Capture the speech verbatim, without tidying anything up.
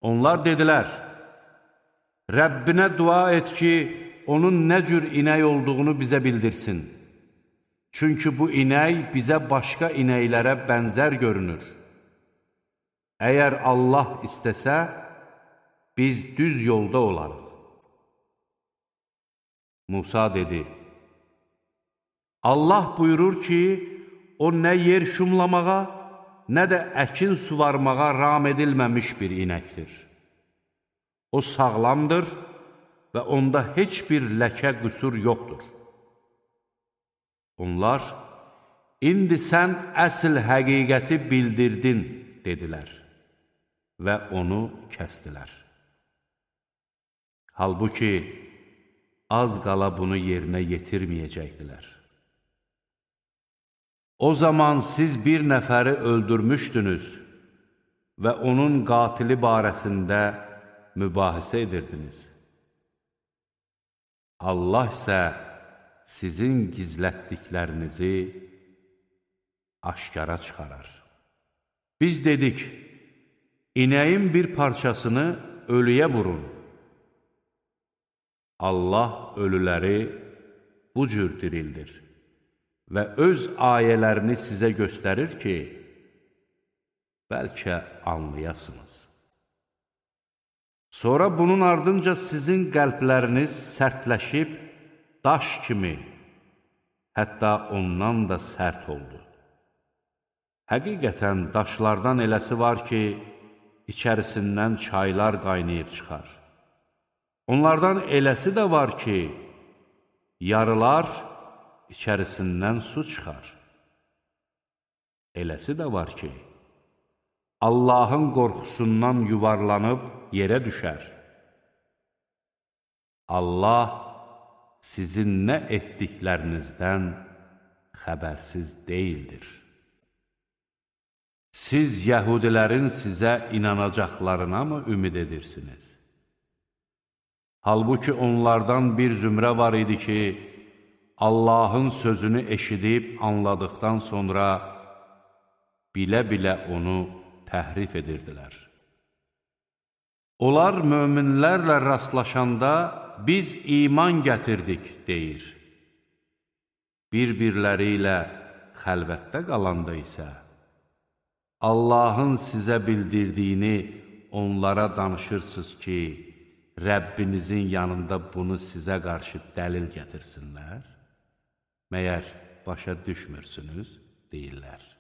Onlar dedilər, Rəbbinə dua et ki, onun nə cür inək olduğunu bizə bildirsin. Çünki bu inək bizə başqa inəklərə bənzər görünür. Əgər Allah istəsə, biz düz yolda olarıq. Musa dedi, Allah buyurur ki, o nə yer şumlamağa, nə də əkin suvarmağa ram edilməmiş bir inəkdir. O sağlamdır və onda heç bir ləkə qüsur yoxdur. Onlar, indi sən əsl həqiqəti bildirdin, dedilər və onu kəstilər. Halbuki, az qala bunu yerinə yetirməyəcəkdilər. O zaman siz bir nəfəri öldürmüşdünüz və onun qatili barəsində mübahisə edirdiniz. Allah isə sizin gizlətdiklərinizi aşkara çıxarar. Biz dedik, inəyin bir parçasını ölüyə vurun. Allah ölüləri bu cür dirildir və öz ayələrini sizə göstərir ki, bəlkə anlayasınız. Sonra bunun ardınca sizin qəlbləriniz sərtləşib, daş kimi, hətta ondan da sərt oldu. Həqiqətən daşlardan eləsi var ki, içərisindən çaylar qaynayıb çıxar. Onlardan eləsi də var ki, yarılar, içərisindən su çıxar. Eləsi də var ki, Allahın qorxusundan yuvarlanıb yerə düşər. Allah sizin nə etdiklərinizdən xəbərsiz deyildir. Siz yəhudilərin sizə inanacaqlarına mı ümid edirsiniz? Halbuki onlardan bir zümrə var idi ki, Allahın sözünü eşidib anladıqdan sonra bilə-bilə onu təhrif edirdilər. Onlar möminlərlə rastlaşanda biz iman gətirdik, deyir. Bir-birləri ilə xəlvətdə qalanda isə Allahın sizə bildirdiyini onlara danışırsınız ki, Rəbbinizin yanında bunu sizə qarşı dəlil gətirsinlər. Məyər başa düşmürsünüz, deyirlər.